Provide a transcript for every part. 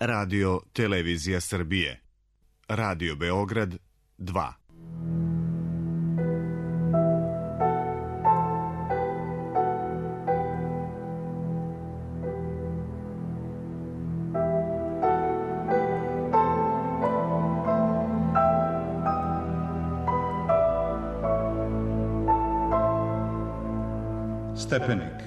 Radio Televizija Srbije. Radio Beograd 2. Stepenik.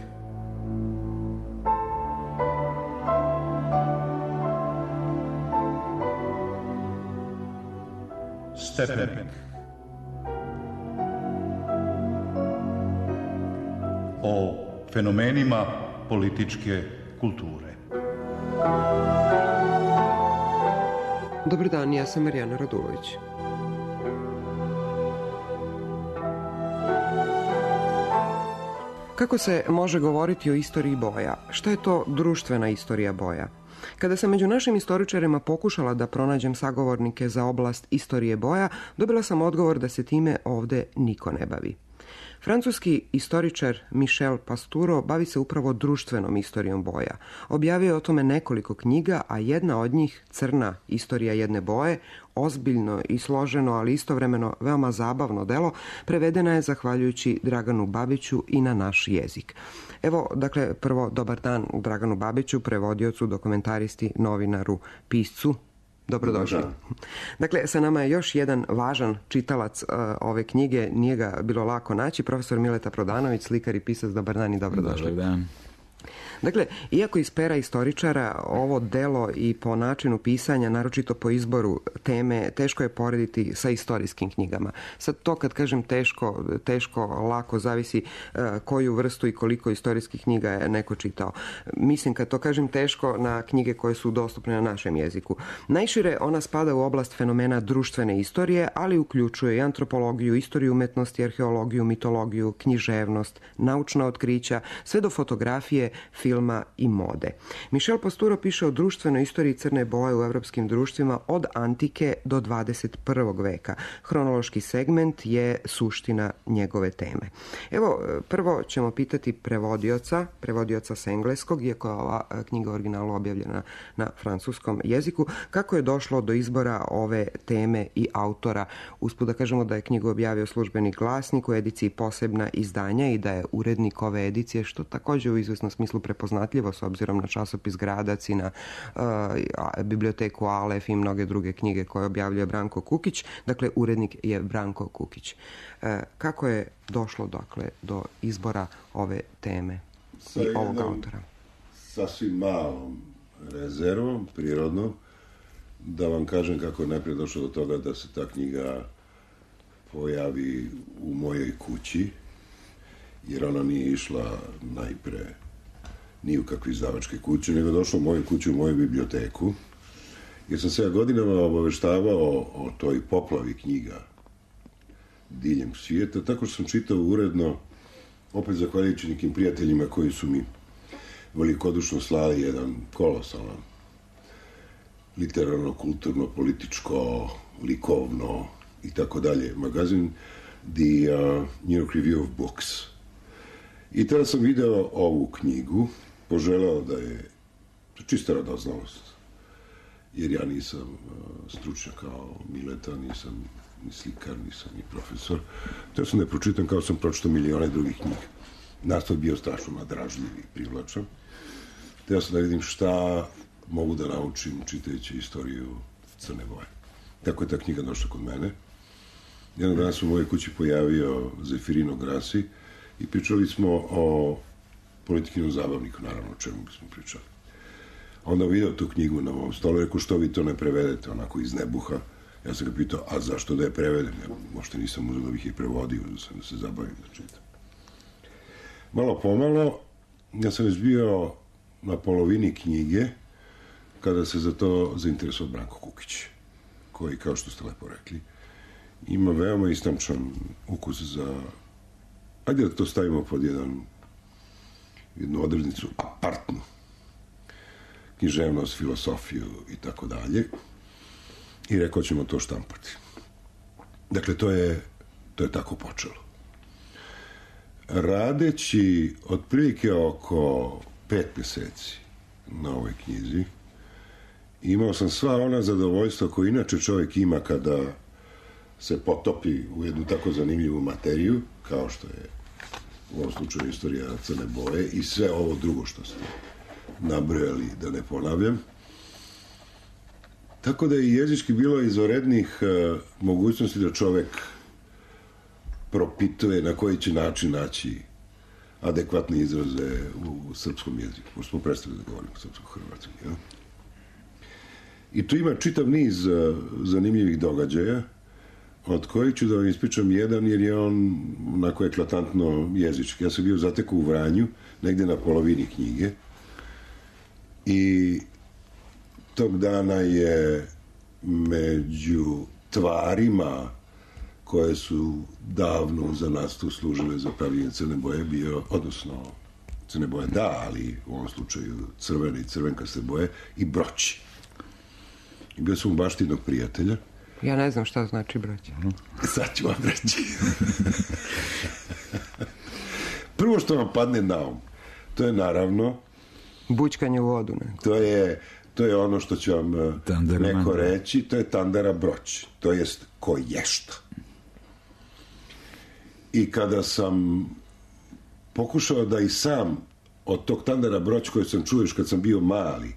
Stepenik. O fenomenima političke kulture. Dobar dan, ja sam Marijana Radulović. Kako se može govoriti o istoriji boja? Šta je to društvena istorija boja? Kada sam među našim istoričarima pokušala da pronađem sagovornike za oblast istorije boja, dobila sam odgovor da se time ovde niko ne bavi. Francuski istoričar Michel Pastoureau bavi se upravo društvenom istorijom boja. Objavio je o tome nekoliko knjiga, a jedna od njih, Crna istorija jedne boje, ozbiljno i složeno, ali istovremeno veoma zabavno delo, prevedena je zahvaljujući Draganu Babiću i na naš jezik. Evo, dakle, prvo dobar dan Draganu Babiću, prevodiocu, dokumentaristi, novinaru, piscu. Dobrodošli. Dakle, sa nama je još jedan važan čitalac ove knjige, nije ga bilo lako naći, profesor Mileta Prodanović, slikar i pisac. Dobar dan i dobrodošli. Dobar dan. Dakle, iako iz pera istoričara ovo delo i po načinu pisanja, naročito po izboru teme, teško je porediti sa istorijskim knjigama. Sad to kad kažem teško, lako, zavisi koju vrstu i koliko istorijskih knjiga je neko čitao. Mislim, kad to kažem teško, na knjige koje su dostupne na našem jeziku. Najšire ona spada u oblast fenomena društvene istorije, ali uključuje i antropologiju, istoriju umetnosti, arheologiju, mitologiju, književnost, naučna otkrića, sve do fotografije, filma i mode. Michel Pastoureau piše o društvenoj istoriji crne boje u evropskim društvima od antike do 21. veka. Hronološki segment je suština njegove teme. Evo, prvo ćemo pitati prevodioca sa engleskog, iako je ova knjiga originalu objavljena na francuskom jeziku, kako je došlo do izbora ove teme i autora. Usput da kažemo da je knjigu objavio Službeni glasnik u ediciji Posebna izdanja i da je urednik ove edicije, što također u izvesnom smislu prepoznatljivo s obzirom na časopis Gradac i na biblioteku Alef i mnoge druge knjige koje objavljuje Branko Kukić. Dakle, urednik je Branko Kukić. Kako je došlo, dakle, do izbora ove teme i ovog autora? Sasvim malom rezervom, prirodnom, da vam kažem kako je najprije došlo do toga da se ta knjiga pojavi u mojoj kući, jer ona nije išla najpre ni u kakve izdavačke kuće, nego došla u moju kuću, u moju biblioteku, jer sam se godinama obaveštavao o toj poplavi knjiga diljem svijeta, tako što sam čitao uredno, opet zahvaljujući nekim prijateljima koji su mi velikodušno slali jedan kolosalan literarno, kulturno, političko, likovno i tako dalje magazin, The New York Review of Books. I tada sam video ovu knjigu, poželeo da je čista radoznalost, jer ja nisam stručnjak kao Mileta, nisam ni slikar, nisam ni profesor. Teo sam da je pročitam kao sam pročitao milione drugih knjiga. Nastav bio strašno nadražljiv i privlačan. Teo sam da vidim šta mogu da naučim čitajući istoriju crne boje. Tako je ta knjiga došla kod mene. Jednog dana sam u mojoj kući pojavio Zefirino Grassi i pričali smo o Politikinom zabavniku, naravno, o čemu bismo pričali. Onda vidio tu knjigu na mom stolu, rekao, što vi to ne prevedete, onako iz nebuha. Ja sam ga pitao, a zašto da je prevedem? Ja možda nisam uzeo da bih je prevodio, da sam da se zabavim da čitam. Malo pomalo, ja sam već bio na polovini knjige, kada se za to zainteresovao Branko Kukić, koji, kao što ste lepo rekli, ima veoma istamčan ukus za, ajde da to stavimo pod jednu odrednicu, apartnu književnost, filosofiju i tako dalje, i rekao ćemo to štampati. Dakle, to je tako počelo. Radeći otprilike oko 5 meseci na ovoj knjizi Imao sam sva ona zadovoljstva koje inače čovjek ima kada se potopi u jednu tako zanimljivu materiju, kao što je u ovom slučaju istorija Crne Boje i sve ovo drugo što ste nabrojali, da ne ponavljam. Tako da je jezički bilo izvanrednih mogućnosti da čovjek propituje na koji će način naći adekvatne izraze u srpskom jeziku. Pošto smo prestali da govorimo srpsko-hrvatski. Ja? I tu ima čitav niz zanimljivih događaja, od kojih ću da vam ispričam jedan, jer je on onako eklatantno jezički. Ja sam bio zatekao u Vranju, negde na polovini knjige, i tog dana je među tvarima koje su davno za nas tu služile za pravljenje Crne Boje bio, odnosno Crne Boje da, ali u ovom slučaju crvene i crvenkaste boje, i broći. I bio sam u bašti jednog prijatelja. Ja ne znam šta znači broći. Sad ću vam reći. Prvo što vam padne na um, to je naravno bućkanje u vodu. Ne? To je ono što će vam neko reći, to je tandara broć, to jest koješta. I kada sam pokušao da i sam od tog tandara broć koji sam čuo još kad sam bio mali,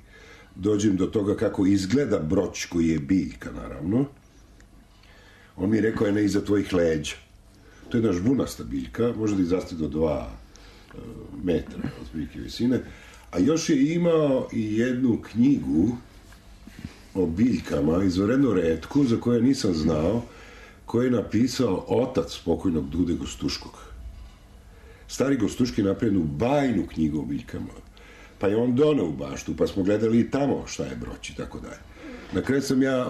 dođem do toga kako izgleda broć koji je biljka, naravno, on mi je rekao, ne iza tvojih leđa. To je jedna žbunasta biljka, može da izraste do 2 metra od biljke visine, a još je imao i jednu knjigu o biljkama, izvanredno retku, za koju nisam znao, koju je napisao otac pokojnog Dude Gostuškog. Stari Gostuški je napravio bajnu knjigu o biljkama, pa je on doneo u baštu, pa smo gledali i tamo šta je broć i tako dalje. Na kraju sam ja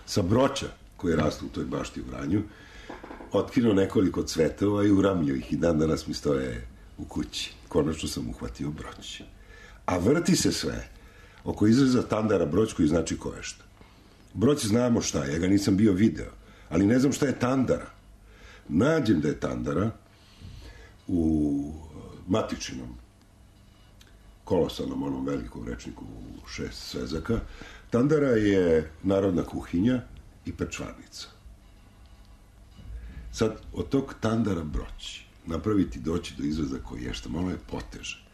sa broća, koji rastu u toj bašti u Vranju, otkinuo nekoliko cvetova i uramljio ih i dan danas mi stoje u kući. Konačno sam uhvatio broć. A vrti se sve oko izraza tandara broć, koji znači koješta. Broć znamo šta je, ja ga nisam bio video, ali ne znam šta je tandara. Nađem da je tandara u matičinom kolosalnom onom velikom rečniku u 6 svezaka. Tandara je narodna kuhinja i pečvarnica. Sad, od tog tandara broć napraviti, doći do izraza koješta, malo je poteže.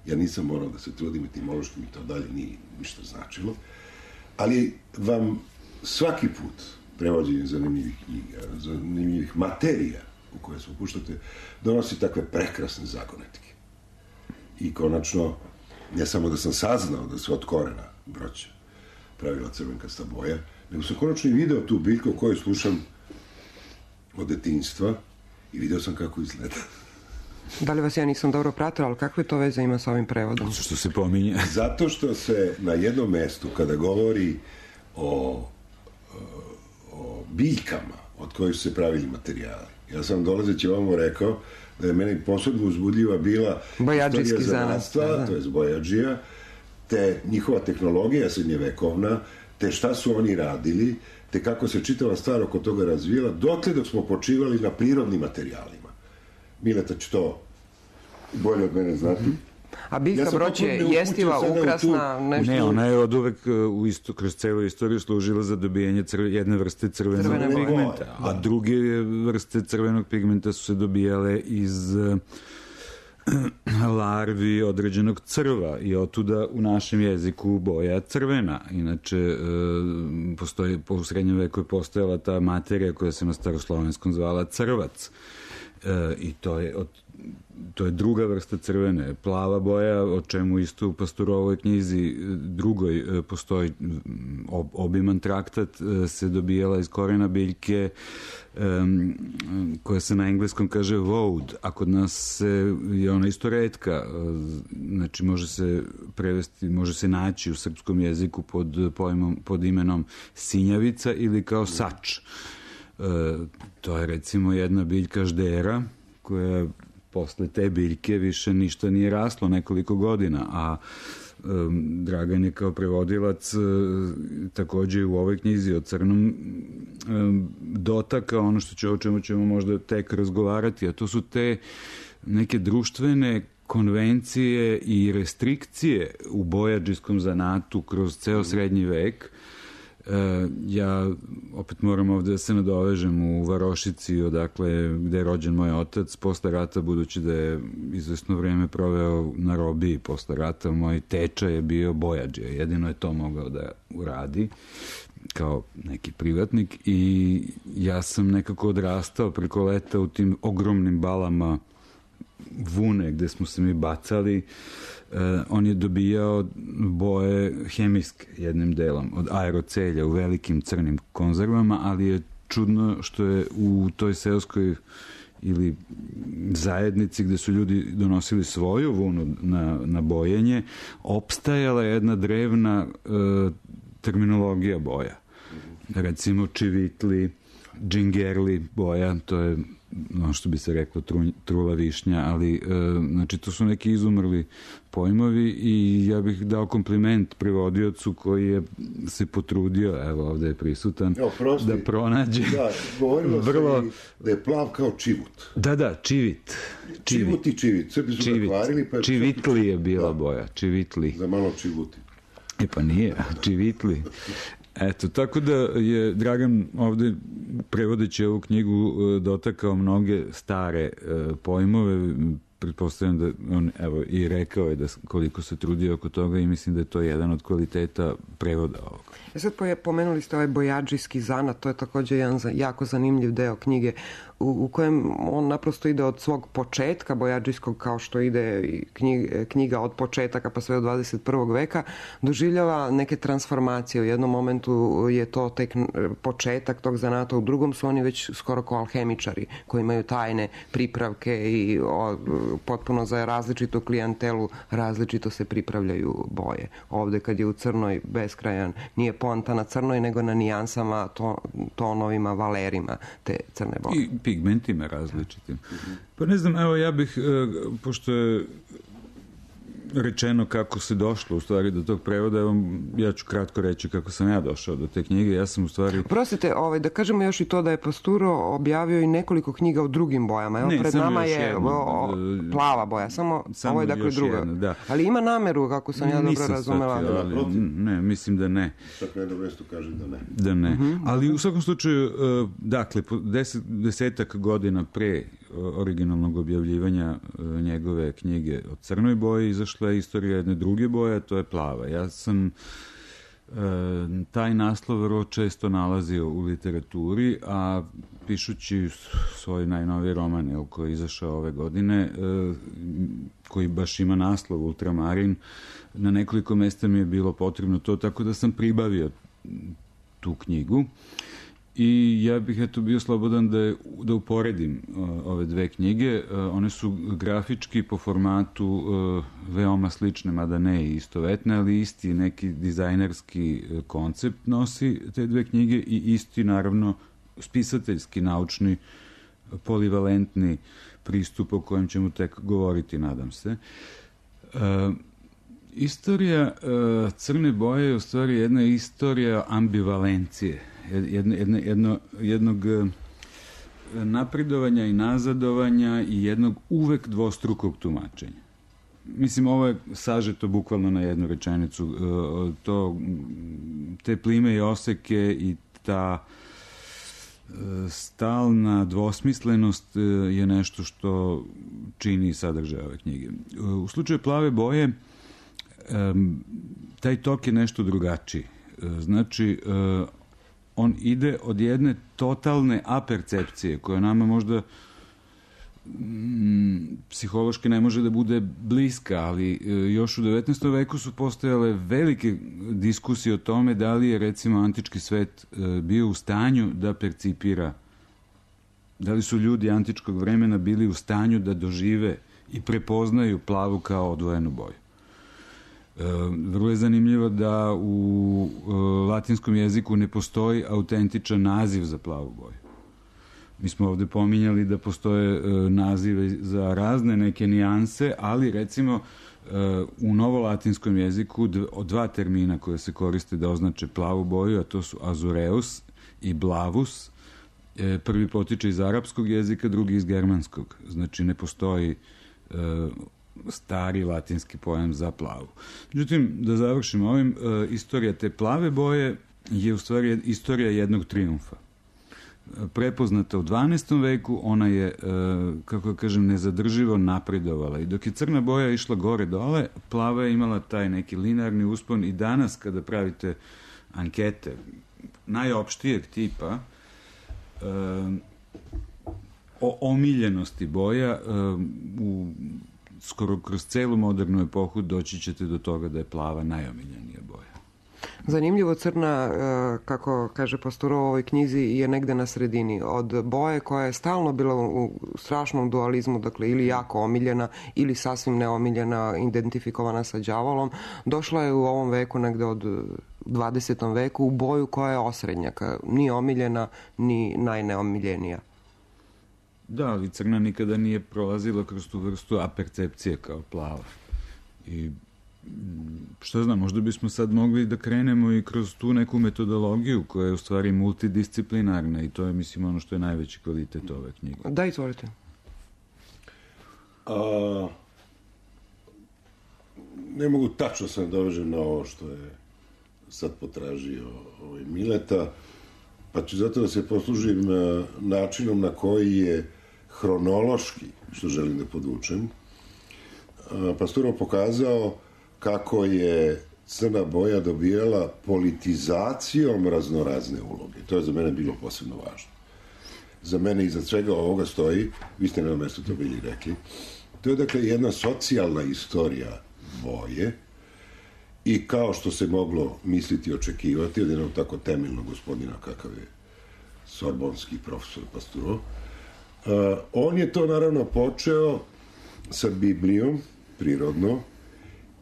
Ja nisam morao da se trudim, etimološki mi to dalje nije ništa značilo, ali vam svaki put prevođenje zanimljivih knjiga, zanimljivih materija u koje se upuštate, donosi takve prekrasne zagonetke. I konačno, ne samo da sam saznao da se od korena broća pravila crvenkasta boja, nego sam konačno i video tu biljku o kojoj slušam od detinjstva i video sam kako izgleda. Da li vas ja nisam dobro pratila, ali kakve to veze ima sa ovim prevodom? Što se pominje? Zato što se na jednom mestu, kada govori o biljkama od kojih su se pravili materijali, ja sam dolazeći ovamo rekao da je meni posebno uzbudljiva bila bojađijski zanatstva, to je bojađija, te njihova tehnologija srednjevekovna, te šta su oni radili, te kako se čitava stvar oko toga razvijela, dotle dok smo počivali na prirodnim materijalima. Mileta će to bolje od mene znati. A biljka broć je jestiva, ukrasna, nešto? Ne, ona je od uvek kroz celu istoriju služila za dobijanje jedne vrste crvenog pigmenta, a druge vrste crvenog pigmenta su se dobijale iz larvi određenog crva i otuda u našem jeziku boja crvena. Inače, u srednjem veku je postojala ta materija koja se na staroslovenskom zvala crvac. I to je druga vrsta crvene. Plava boja, o čemu isto u Pastorovoj knjizi drugoj postoji obiman traktat, se dobijala iz korena biljke koja se na engleskom kaže woad, a kod nas je ona isto retka, znači može se prevesti, može se naći u srpskom jeziku pod imenom sinjavica ili kao sač. To je recimo jedna biljka ždera koja posle te biljke više ništa nije raslo nekoliko godina, a Dragan je kao prevodilac takođe u ovoj knjizi o crnom dotaka o čemu ćemo možda tek razgovarati, a to su te neke društvene konvencije i restrikcije u bojađijskom zanatu kroz ceo srednji vek. Ja opet moram ovde da se nadovežem u Varošici, odakle gde je rođen moj otac posle rata, budući da je izvesno vreme proveo na robiji posle rata. Moj teča je bio bojađija, jedino je to mogao da uradi kao neki privatnik, i ja sam nekako odrastao preko leta u tim ogromnim balama vune gde smo se mi bacali. On je dobijao boje hemijske jednim delom od aerocelja u velikim crnim konzervama, ali je čudno što je u toj seoskoj ili zajednici gde su ljudi donosili svoju vunu na bojenje, opstajala jedna drevna terminologija boja. Recimo čivitli, džingerli boja, to je ono što bi se reklo trula višnja, ali znači to su neki izumrli pojmovi, i ja bih dao kompliment prevodiocu koji je se potrudio, evo ovde je prisutan, da pronađe. Da, govorilo vrlo... se da je plav kao čivut. Da, čivit. Čivut i čivit. Sve bi su nakvarili, pa... Čivitli je bila boja, čivitli. Za malo čivuti. Pa nije, čivitli. Eto, tako da je Dragan ovde, prevodeći ovu knjigu, dotakao mnoge stare pojmove. Pretpostavljam da on, evo, i rekao je da koliko se trudio oko toga, i mislim da je to jedan od kvaliteta prevoda ovog. Sad pomenuli ste ovaj bojađijski zanat, to je takođe jedan jako zanimljiv deo knjige u kojem on naprosto ide od svog početka bojađijskog, kao što ide knjiga od početaka pa sve od 21. veka, doživljava neke transformacije. U jednom momentu je to tek početak tog zanata, u drugom su oni već skoro kao alhemičari koji imaju tajne pripravke i potpuno za različitu klijentelu različito se pripravljaju boje. Ovde kad je u crnoj beskrajan, nije poanta na crnoj nego na nijansama, tonovima, valerima te crne boje. I pigmentima različitim. Pa ne znam, evo ja bih, pošto je rečeno kako se došlo u stvari do tog prevoda, evo ja ću kratko reći kako sam ja došao do te knjige. Ja sam u stvari... Prostite, da kažemo još i to da je Pasturo objavio i nekoliko knjiga u drugim bojama. Evo, pred nama je plava boja, samo ovo je dakle druga. Jedna, da. Ali ima nameru, kako sam ja dobro razumela. Ne, mislim da ne. Čak na jednom mjestu kaže da ne. Da ne. Ali u svakom slučaju, dakle, desetak godina pre originalnog objavljivanja njegove knjige o crnoj boji izašla je istorija jedne druge boje, to je plava. Ja sam taj naslov vrlo često nalazio u literaturi, a pišući svoj najnoviji roman koji je izašao ove godine, koji baš ima naslov Ultramarin, na nekoliko mesta mi je bilo potrebno to, tako da sam pribavio tu knjigu. I ja bih bio slobodan da uporedim ove dve knjige. One su grafički po formatu veoma slične, mada ne i istovetne, ali isti neki dizajnerski koncept nosi te dve knjige i isti, naravno, spisateljski, naučni, polivalentni pristup o kojem ćemo tek govoriti, nadam se. Istorija crne boje je u stvari jedna istorija ambivalencije, jednog napredovanja i nazadovanja i jednog uvek dvostrukog tumačenja. Mislim, ovo je sažeto bukvalno na jednu rečenicu. Te plime i oseke i ta stalna dvosmislenost je nešto što čini sadržaj ove knjige. U slučaju plave boje taj tok je nešto drugačiji. Znači, on ide od jedne totalne apercepcije koja nama možda psihološki ne može da bude bliska, ali još u 19. veku su postojale velike diskusije o tome da li je, recimo, antički svet bio u stanju da percipira, da li su ljudi antičkog vremena bili u stanju da dožive i prepoznaju plavu kao odvojenu boju. Vrlo je zanimljivo da u latinskom jeziku ne postoji autentičan naziv za plavu boju. Mi smo ovde pominjali da postoje nazive za razne neke nijanse, ali recimo u novolatinskom jeziku dva termina koje se koriste da označe plavu boju, a to su azureus i blavus. Prvi potiče iz arapskog jezika, drugi iz germanskog. Znači ne postoji stari latinski pojam za plavu. Međutim, da završimo ovim, istorija te plave boje je u stvari istorija jednog trijumfa. Prepoznata u 12. veku, ona je, kako kažem, nezadrživo napredovala. I dok je crna boja išla gore dole, plava je imala taj neki linearni uspon i danas kada pravite ankete najopštijeg tipa o omiljenosti boja, skoro kroz celu modernu epohu doći ćete do toga da je plava najomiljenija boja. Zanimljivo, crna, kako kaže Pastoureau u ovoj knjizi, je negde na sredini. Od boje koja je stalno bila u strašnom dualizmu, dakle ili jako omiljena ili sasvim neomiljena, identifikovana sa đavolom, došla je u ovom veku, negde od 20. veku, u boju koja je osrednjaka, ni omiljena, ni najneomiljenija. Da, ali crna nikada nije prolazila kroz tu vrstu apercepcije kao plava. I šta znam, možda bismo sad mogli da krenemo i kroz tu neku metodologiju koja je u stvari multidisciplinarna i to je, mislim, ono što je najveći kvalitet ove knjige. Da, izvolite. Ne mogu tačno se dovežem na ovo što je sad potražio Mileta, pa ću zato da se poslužim načinom na koji je hronološki, što želim da podvučem, Pastoureau pokazao kako je crna boja dobijala politizacijom raznorazne uloge. To je za mene bilo posebno važno. Za mene iza svega ovoga stoji, vi ste na mesto to bili rekli, to je dakle jedna socijalna istorija boje i kao što se moglo misliti i očekivati od jednog tako temeljnog gospodina kakav je sorbonski profesor Pastoureau, on je to naravno počeo sa Biblijom, prirodno,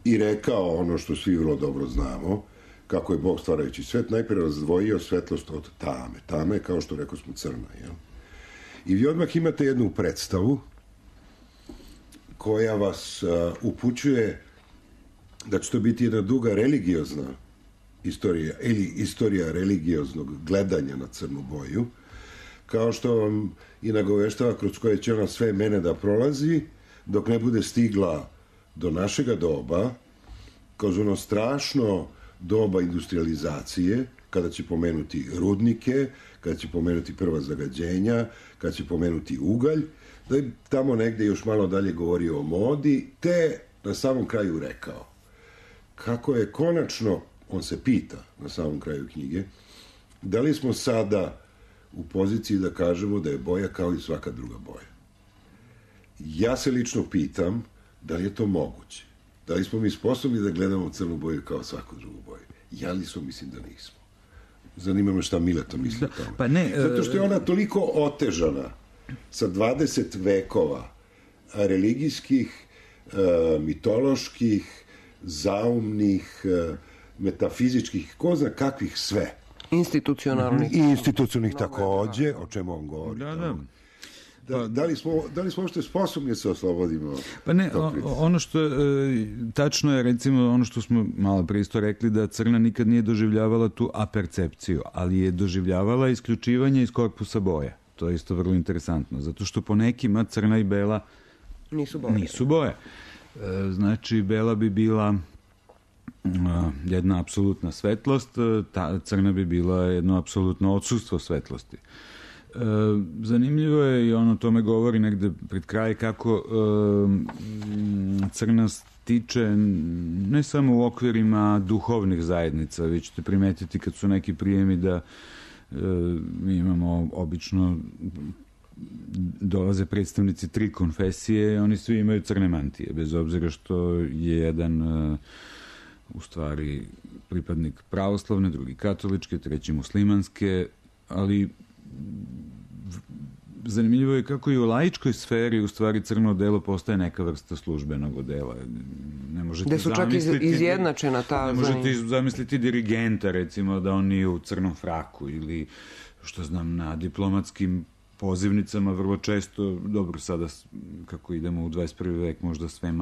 i rekao ono što svi vrlo dobro znamo, kako je Bog stvarajući svet najprije razdvojio svetlost od tame. Tame je, kao što rekao smo, crna. Jel? I vi odmah imate jednu predstavu koja vas upućuje da će to biti jedna duga religiozna istorija, ili istorija religioznog gledanja na crnu boju, kao što vam i nagoveštava kroz koje će ona sve mene da prolazi, dok ne bude stigla do našega doba, kroz ono strašno doba industrializacije, kada će pomenuti rudnike, kada će pomenuti prva zagađenja, kada će pomenuti ugalj, da je tamo negde još malo dalje govorio o modi, te na samom kraju rekao kako je konačno, on se pita na samom kraju knjige, da li smo sada u poziciji da kažemo da je boja kao i svaka druga boja. Ja se lično pitam da li je to moguće. Da li smo mi sposobni da gledamo crnu boju kao svaku drugu boju? Ja lično mislim da nismo. Zanima me šta Mileto misli o tome. Pa ne, zato što je ona toliko otežana sa 20 vekova religijskih, mitoloških, zaumnih, metafizičkih, ko zna kakvih sve. Institucionalnih. I institucionalnih takođe, o čemu on govori. Da. Da li smo uopšte sposobni se oslobodimo? Pa ne, ono što tačno je, recimo, ono što smo malo pre isto rekli, da crna nikad nije doživljavala tu apercepciju, ali je doživljavala isključivanje iz korpusa boja. To je isto vrlo interesantno, zato što po nekima crna i bela nisu boje. Znači, bela bi bila jedna apsolutna svetlost, crna bi bila jedno apsolutno odsustvo svetlosti. Zanimljivo je i ono tome govori negde pred kraj kako crna stiče ne samo u okvirima duhovnih zajednica, vi ćete primetiti kad su neki prijemi da mi imamo obično dolaze predstavnici 3 konfesije, oni svi imaju crne mantije, bez obzira što je jedan u stvari pripadnik pravoslavne, drugi katoličke, treći muslimanske, ali zanimljivo je kako i u laičkoj sferi u stvari crno odelo postaje neka vrsta službenog odela. Ne možete gde su čak izjednačena ta... Ne možete zamisliti dirigenta, recimo, da on nije u crnom fraku ili, što znam, na diplomatskim pozivnicama vrlo često, dobro, sada kako idemo u 21. vek, možda sve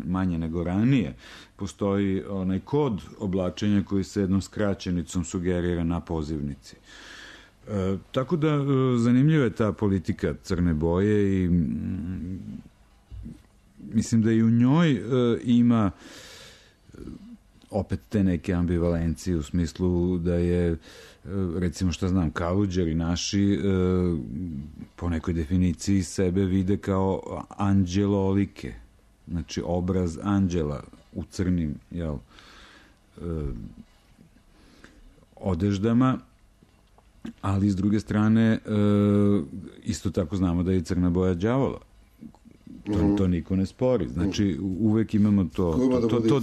manje nego ranije, postoji onaj kod oblačenja koji se jednom skraćenicom sugerira na pozivnici. Tako da zanimljiva je ta politika crne boje i mislim da i u njoj ima opet te neke ambivalencije u smislu da je, recimo šta znam, Kaluđeri naši po nekoj definiciji sebe vide kao anđelolike, znači obraz anđela u crnim, odeždama, ali s druge strane isto tako znamo da je crna boja đavola. To niko ne spori. Znači, uvek imamo to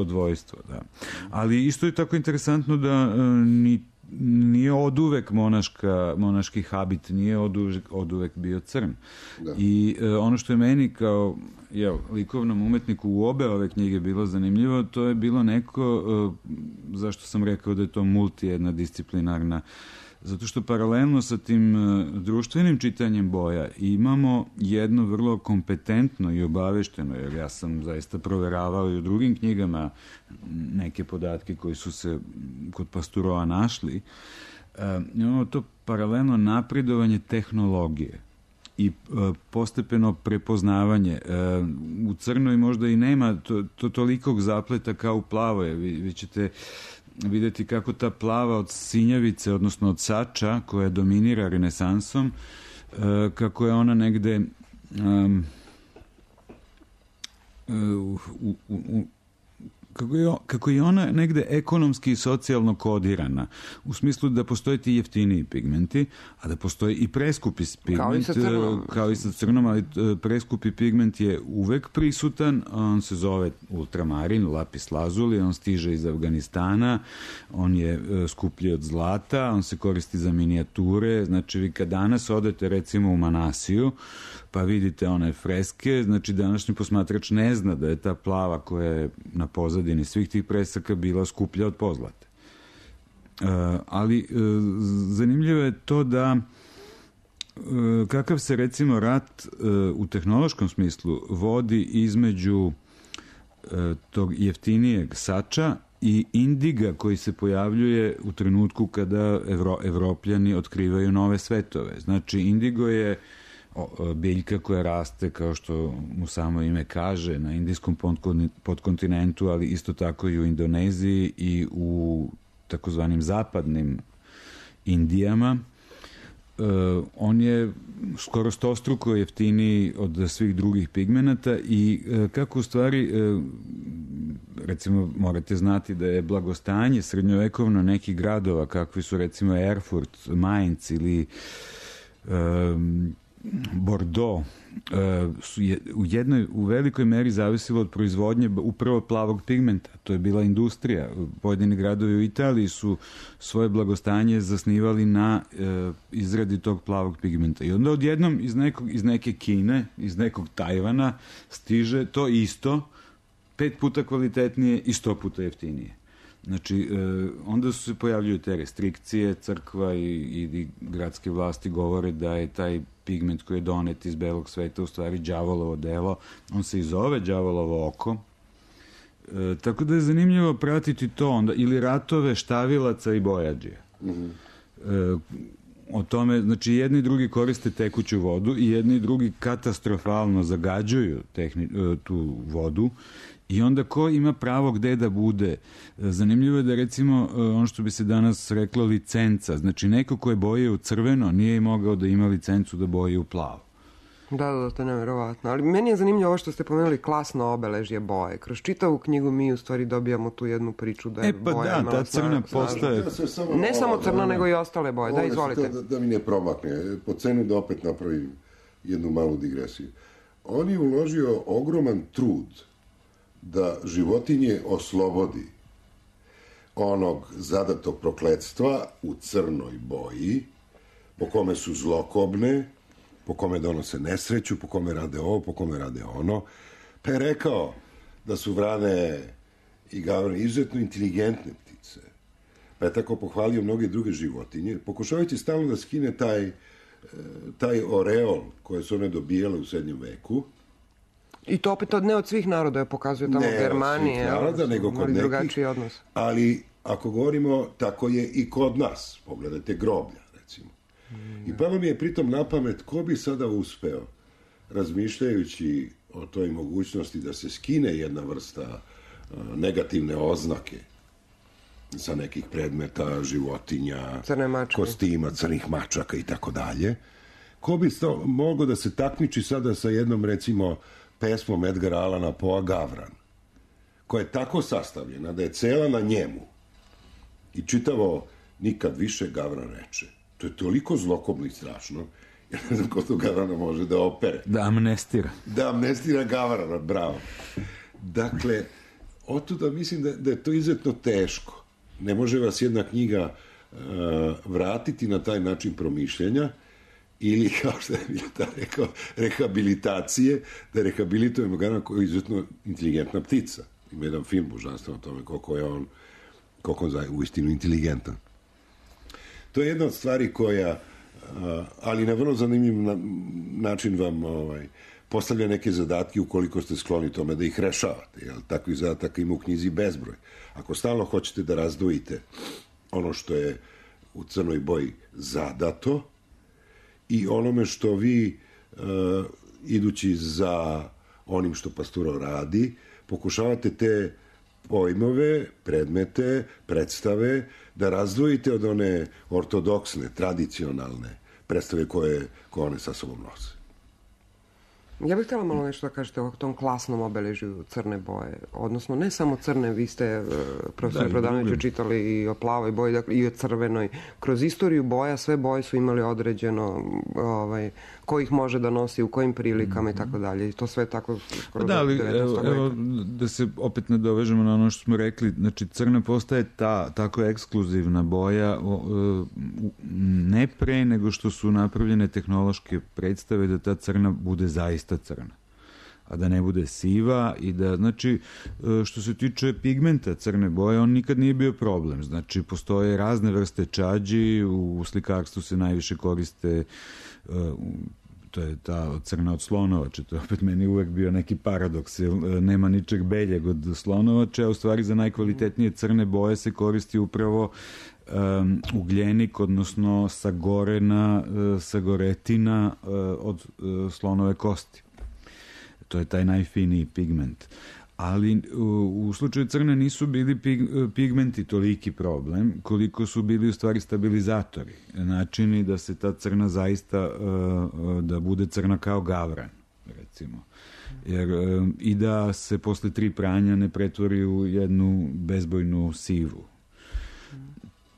dvojstvo, da. Ali isto je tako interesantno da nije oduvek monaški habit, nije oduvek bio crn. Da. I ono što je meni kao likovnom umetniku u obe ove knjige bilo zanimljivo, to je bilo neko, zašto sam rekao da je to multijedna disciplinarna, zato što paralelno sa tim društvenim čitanjem boja imamo jedno vrlo kompetentno i obavešteno, jer ja sam zaista proveravao i u drugim knjigama neke podatke koji su se kod Pasturoa našli, imamo to paralelno napredovanje tehnologije i postepeno prepoznavanje. U crnoj možda i nema tolikog zapleta kao u plavoj. Vi ćete vidjeti kako ta plava od sinjavice, odnosno od sača, koja dominira renesansom, kako je ona negde kako je ona negde ekonomski i socijalno kodirana, u smislu da postoje ti jeftiniji pigmenti, a da postoji i preskupi pigment, kao i sa crnom, ali preskupi pigment je uvek prisutan, on se zove ultramarin, lapis lazuli, on stiže iz Afganistana, on je skuplji od zlata, on se koristi za minijature, znači vi kad danas odete recimo u Manasiju, pa vidite one freske, znači današnji posmatrač ne zna da je ta plava koja je na pozadini svih tih presaka bila skuplja od pozlate. Ali zanimljivo je to da kakav se recimo rat u tehnološkom smislu vodi između tog jeftinijeg sača i indiga koji se pojavljuje u trenutku kada Evropljani otkrivaju nove svetove. Znači indigo je biljka koja raste, kao što mu samo ime kaže, na indijskom podkontinentu, ali isto tako i u Indoneziji i u takozvanim zapadnim Indijama. On je skoro 100-struko jeftiniji od svih drugih pigmenata i kako u stvari, recimo morate znati da je blagostanje srednjovekovno nekih gradova, kakvi su recimo Erfurt, Mainz ili Bordeaux, u velikoj meri zavisilo od proizvodnje upravo plavog pigmenta. To je bila industrija. Pojedini gradovi u Italiji su svoje blagostanje zasnivali na izradi tog plavog pigmenta. I onda odjednom iz neke Kine, iz nekog Tajvana stiže to isto, 5 puta kvalitetnije i 100 puta jeftinije. Znači, onda se pojavljuju te restrikcije, crkva i gradske vlasti govore da je taj pigment koji je donet iz belog sveta u stvari đavolovo delo. On se i zove đavolovo oko. Tako da je zanimljivo pratiti to onda, ili ratove štavilaca i bojađija. O tome, znači jedni i drugi koriste tekuću vodu i jedni i drugi katastrofalno zagađuju tu vodu. I onda ko ima pravo gde da bude? Zanimljivo je da recimo ono što bi se danas reklo licenca. Znači neko ko je boje u crveno nije mogao da ima licencu da boje u plavo. Da, to je nevjerovatno. Ali meni je zanimljivo ovo što ste pomenuli klasno obeležje boje. Kroz čitavu knjigu mi u stvari dobijamo tu jednu priču da je boja imala ta crna postaje. Ne samo crna, nego i ostale boje. Da, izvolite. Da mi ne promakne. Po cenu da opet napravim jednu malu digresiju. On je uložio ogroman trud da životinje oslobodi onog zadatog prokletstva u crnoj boji, po kome su zlokobne, po kome donose nesreću, po kome rade ovo, po kome rade ono. Pa je rekao da su vrane i gavran izuzetno inteligentne ptice. Pa je tako pohvalio mnoge druge životinje, pokušavajući stalno da skine taj oreol koje su one dobijale u srednjem veku. I to opet ne od svih naroda je pokazuje tamo u Germaniji. Ne od svih naroda, nego kod nekih. Odnos. Ali ako govorimo, tako je i kod nas. Pogledajte groblja, recimo. I pa vam je pritom na pamet ko bi sada uspeo, razmišljajući o toj mogućnosti da se skine jedna vrsta negativne oznake sa nekih predmeta, životinja, kostima, crnih mačaka i tako dalje. Ko bi mogao da se takmiči sada sa jednom, recimo, pesmom Edgara Allana Poea Gavran, koja je tako sastavljena da je cela na njemu i čitavo nikad više Gavran reče. To je toliko zlokobno i strašno, ja ne znam ko to Gavrana može da opere. Da amnestira. Da amnestira Gavrana, bravo. Dakle, otuda mislim da je to izuzetno teško. Ne može vas jedna knjiga vratiti na taj način promišljenja ili, kao što je Mileta rekao, rehabilitacije, da rehabilitujemo Gavrana koji je izuzetno inteligentna ptica. Ima jedan film božanstven o tome koliko je on uistinu inteligentan. To je jedna od stvari koja, ali na vrlo zanimljiv način vam postavlja neke zadatke ukoliko ste skloni tome da ih rešavate. Jel? Takvih zadataka ima u knjizi bezbroj. Ako stalno hoćete da razdvojite ono što je u crnoj boji zadato i onome što vi, idući za onim što Pasturo radi, pokušavate te pojmove, predmete, predstave da razdvojite od one ortodoksne, tradicionalne predstave koje one sa sobom nose. Ja bih htjela malo nešto da kažete o tom klasnom obeležju crne boje. Odnosno, ne samo crne, vi ste, profesor Prodanoviću, čitali i o plavoj boji, dakle, i o crvenoj. Kroz istoriju boja, sve boje su imali određeno ko ih može da nosi, u kojim prilikama i tako dalje. I to sve tako skoro do 19. Evo, da se opet nadovežemo na ono što smo rekli, znači crna postaje tako ekskluzivna boja ne pre nego što su napravljene tehnološke predstave da ta crna bude zaista crna, a da ne bude siva i da, znači, što se tiče pigmenta crne boje, on nikad nije bio problem. Znači, postoje razne vrste čađi, u slikarstvu se najviše koriste to je ta crna od slonovače, to je opet meni uvek bio neki paradoks, jer nema ničeg beljeg od slonovače, a u stvari za najkvalitetnije crne boje se koristi upravo ugljenik, odnosno sagoretina od slonove kosti. To je taj najfiniji pigment. Ali u slučaju crne nisu bili pigmenti toliki problem, koliko su bili u stvari stabilizatori. Načini da se ta crna zaista, da bude crna kao gavran, recimo. Jer, i da se posle 3 pranja ne pretvori u jednu bezbojnu sivu.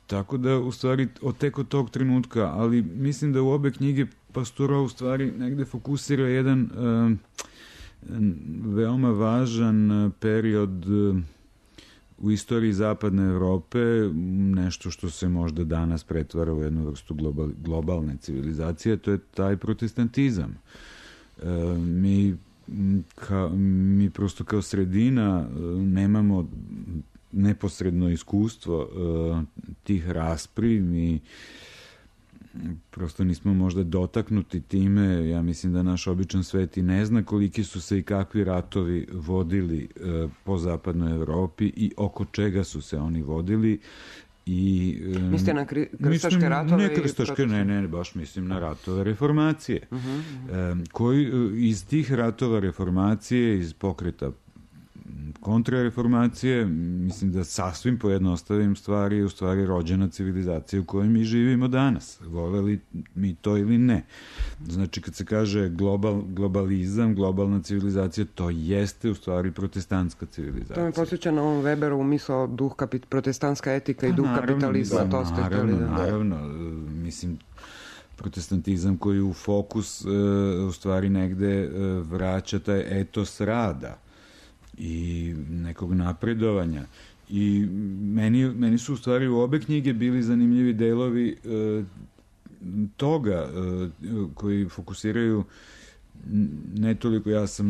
Tako da, u stvari, tek od tog trenutka, ali mislim da u obe knjige Pasturo u stvari negde fokusira jedan veoma važan period u istoriji zapadne Evrope, nešto što se možda danas pretvara u jednu vrstu globalne civilizacije, to je taj protestantizam. Mi prosto kao sredina nemamo neposredno iskustvo tih raspri, mi prosto nismo možda dotaknuti time. Ja mislim da naš običan svet i ne zna koliki su se i kakvi ratovi vodili po zapadnoj Evropi i oko čega su se oni vodili. Mislite na krstaške ratove? Ne krstaške, ne, baš mislim na ratove reformacije. Koji iz tih ratova reformacije, iz pokreta kontrareformacije, mislim da sasvim pojednostavim stvari je u stvari rođena civilizacija u kojoj mi živimo danas. Voleli mi to ili ne. Znači, kad se kaže globalizam, globalna civilizacija, to jeste u stvari protestantska civilizacija. To mi posjeća na ovom Weberovu misao protestantska etika i duh kapitalizma. Naravno, mislim, protestantizam koji u fokus u stvari negde vraća taj etos rada i nekog napredovanja. I meni su u stvari u obe knjige bili zanimljivi delovi toga koji fokusiraju ne toliko, ja sam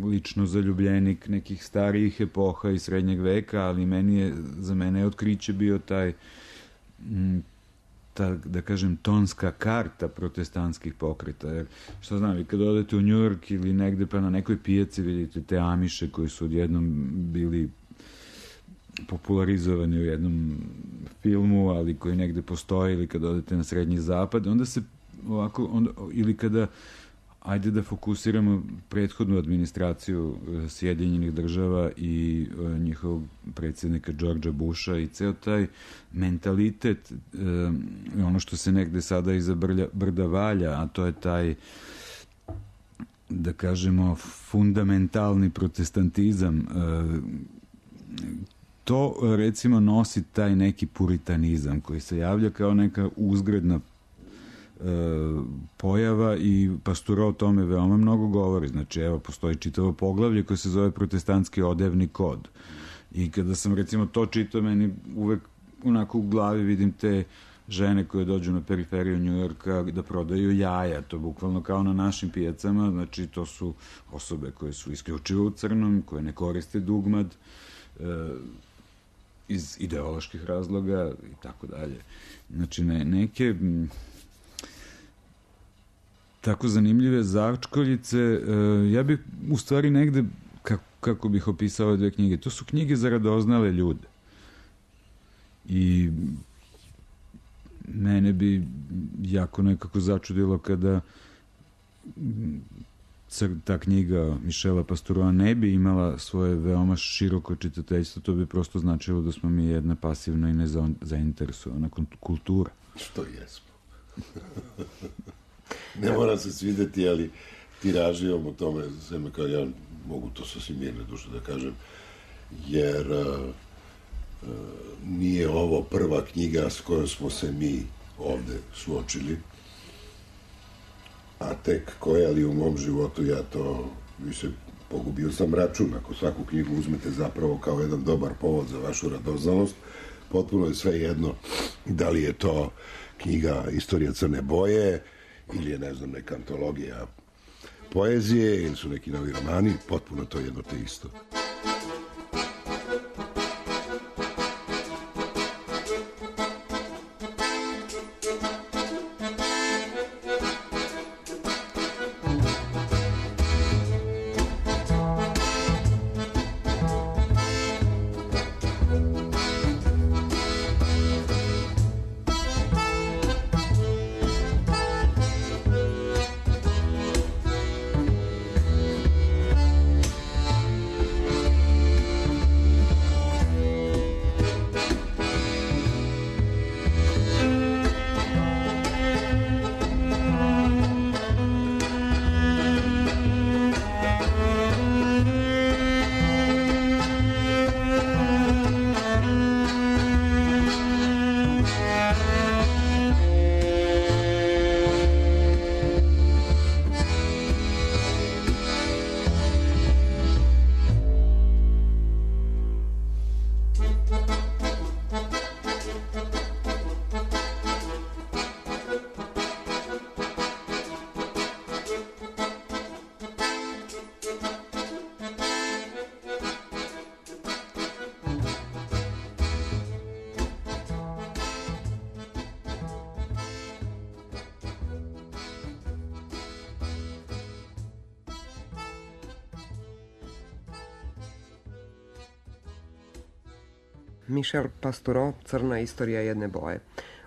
lično zaljubljenik nekih starijih epoha i srednjeg veka, ali za mene je otkriće bio ta, da kažem, tonska karta protestantskih pokreta. Jer, što znam, vi kad odete u New York ili negde pa na nekoj pijaci vidite te Amiše koji su odjednom bili popularizovani u jednom filmu, ali koji negde postoje, ili kad odete na Srednji zapad, onda se ovako, ili kada ajde da fokusiramo prethodnu administraciju Sjedinjenih država i njihovog predsjednika Georgea Busha i ceo taj mentalitet, ono što se negde sada iza brda valja, a to je taj, da kažemo, fundamentalni protestantizam. To, recimo, nosi taj neki puritanizam koji se javlja kao neka uzgredna pojava i Pastoureau o tome veoma mnogo govori. Znači, evo, postoji čitavo poglavlje koje se zove protestantski odevni kod. I kada sam, recimo, to čitao, meni uvek onako u glavi vidim te žene koje dođu na periferiju Njujorka da prodaju jaja, to bukvalno kao na našim pijacama, znači to su osobe koje su isključivo u crnom, koje ne koriste dugmad, iz ideoloških razloga i tako dalje. Znači, neke tako zanimljive začkoljice, ja bih u stvari negde, kako bih opisao ove dve knjige, to su knjige za radoznale ljude. I mene bi jako nekako začudilo kada ta knjiga Michela Pastoureaua ne bi imala svoje veoma široko čitateljstvo, to bi prosto značilo da smo mi jedna pasivna i nezainteresovana kultura. Što jesmo. Ne mora se svideti, ali tiraži o tome, sve kao ja mogu to sasvim mirne duše da kažem, jer nije ovo prva knjiga s kojom smo se mi ovde suočili, a tek koja li u mom životu ja to više pogubio sam račun. Ako svaku knjigu uzmete zapravo kao jedan dobar povod za vašu radoznalost, potpuno je sve jedno da li je to knjiga Istorija crne boje ili je, ne znam, neka antologija poezije ili su neki novi romani, potpuno to jedno te isto. Michel Pastoureau, Crna istorija jedne boje.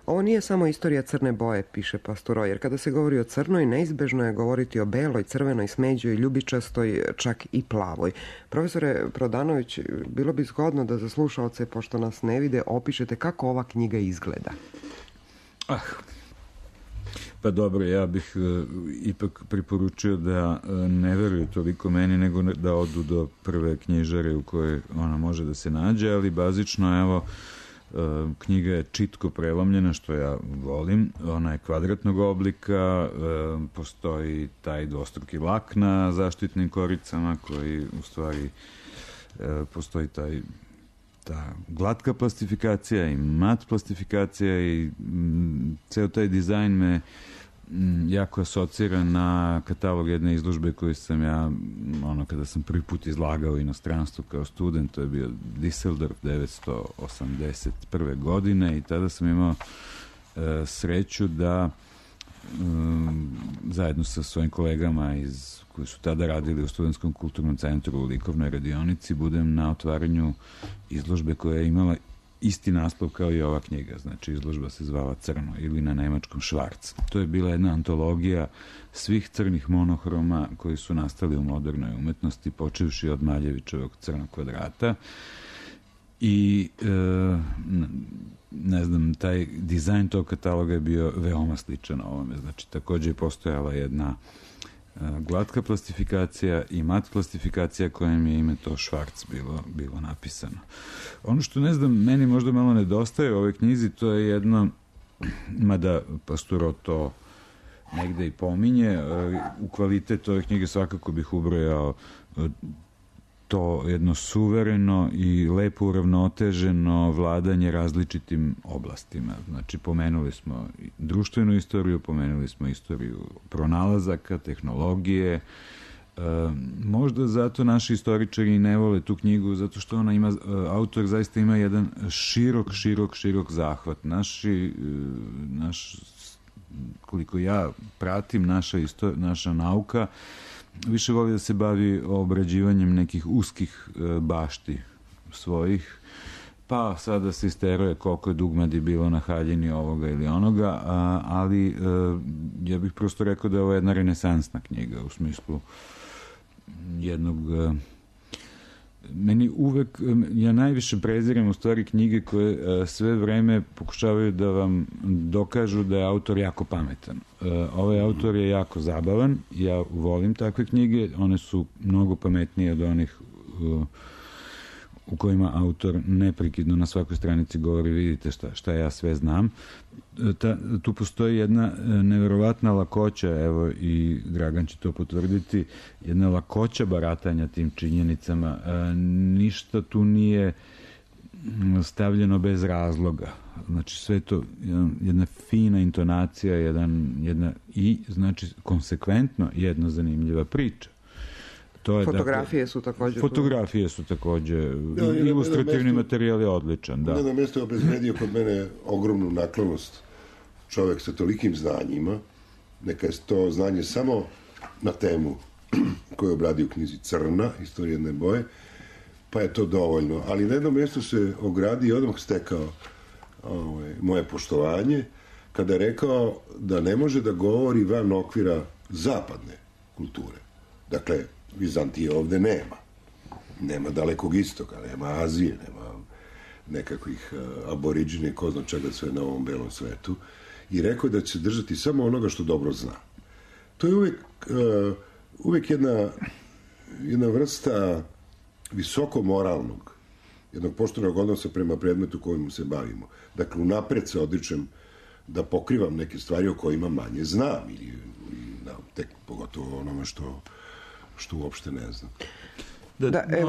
Ovo nije samo istorija crne boje, piše Pastoureau, jer kada se govori o crnoj, neizbežno je govoriti o beloj, crvenoj, smeđoj, ljubičastoj, čak i plavoj. Profesore Prodanović, bilo bi zgodno da za slušaoce, pošto nas ne vide, opišete kako ova knjiga izgleda. Pa dobro, ja bih ipak preporučio da ne veruju toliko meni, nego da odu do prve knjižare u kojoj ona može da se nađe, ali bazično, evo, knjiga je čitko prelomljena, što ja volim. Ona je kvadratnog oblika, postoji taj dvostruki lak na zaštitnim koricama koji u stvari postoji ta glatka plastifikacija i mat plastifikacija i ceo taj dizajn me jako asocira na katalog jedne izložbe koju sam ja, kada sam prvi put izlagao u inostranstvu kao student, to je bio Düsseldorf 1981. godine i tada sam imao sreću da zajedno sa svojim kolegama koji su tada radili u Studentskom kulturnom centru u likovnoj radionici budem na otvaranju izložbe koja je imala isti naslov kao i ova knjiga, znači izložba se zvala Crno ili na nemačkom Švarc. To je bila jedna antologija svih crnih monohroma koji su nastali u modernoj umetnosti, počevši od Maljevićevog Crnog kvadrata. I ne znam, taj dizajn tog kataloga je bio veoma sličan ovome. Znači, takođe je postojala jedna glatka plastifikacija i mat plastifikacija kojem je ime to Švarc bilo napisano. Ono što, ne znam, meni možda malo nedostaje u ovoj knjizi, to je jedno, mada Pasturo to negde i pominje, u kvalitet ove knjige svakako bih ubrojao to jedno suvereno i lepo uravnoteženo vladanje različitim oblastima. Znači, pomenuli smo društvenu istoriju, pomenuli smo istoriju pronalazaka, tehnologije. Možda zato naši istoričari ne vole tu knjigu, zato što ona ima, autor zaista ima jedan širok zahvat. Koliko ja pratim, naša nauka više voli da se bavi obrađivanjem nekih uskih bašti svojih, pa sada se isteruje koliko je dugmadi bilo na haljini ovoga ili onoga, ali ja bih prosto rekao da je ovo jedna renesansna knjiga u smislu jednog... Meni uvek, ja najviše prezirem u stvari knjige koje sve vreme pokušavaju da vam dokažu da je autor jako pametan. Ovaj autor je jako zabavan, ja volim takve knjige, one su mnogo pametnije od onih u kojima autor neprekidno na svakoj stranici govori, vidite šta ja sve znam. Tu postoji jedna neverovatna lakoća, evo i Dragan će to potvrditi, jedna lakoća baratanja tim činjenicama. Ništa tu nije stavljeno bez razloga. Znači sve to jedna fina intonacija, jedna i znači konsekventno jedna zanimljiva priča. Fotografije su takođe... Fotografije su takođe, ilustrativni materijal je odličan, da. Na jednom mjestu je obezbedio kod mene ogromnu naklonost čovek sa tolikim znanjima, neka je to znanje samo na temu koju je obradio u knjizi Crna, Istorija jedne boje, pa je to dovoljno. Ali na jednom mjestu se ogradio i odmah stekao moje poštovanje, kada je rekao da ne može da govori van okvira zapadne kulture. Dakle, Vizantije ovde nema. Nema Dalekog istoka, nema Azije, nema nekakvih aboriđine, ko zna čega sve na ovom belom svetu. I rekao da će se držati samo onoga što dobro zna. To je uvek jedna vrsta visoko moralnog, jednog poštenog odnosa prema predmetu kojim se bavimo. Dakle, unapred se odričem da pokrivam neke stvari o kojima manje znam ili tek pogotovo onome što uopšte ne znam.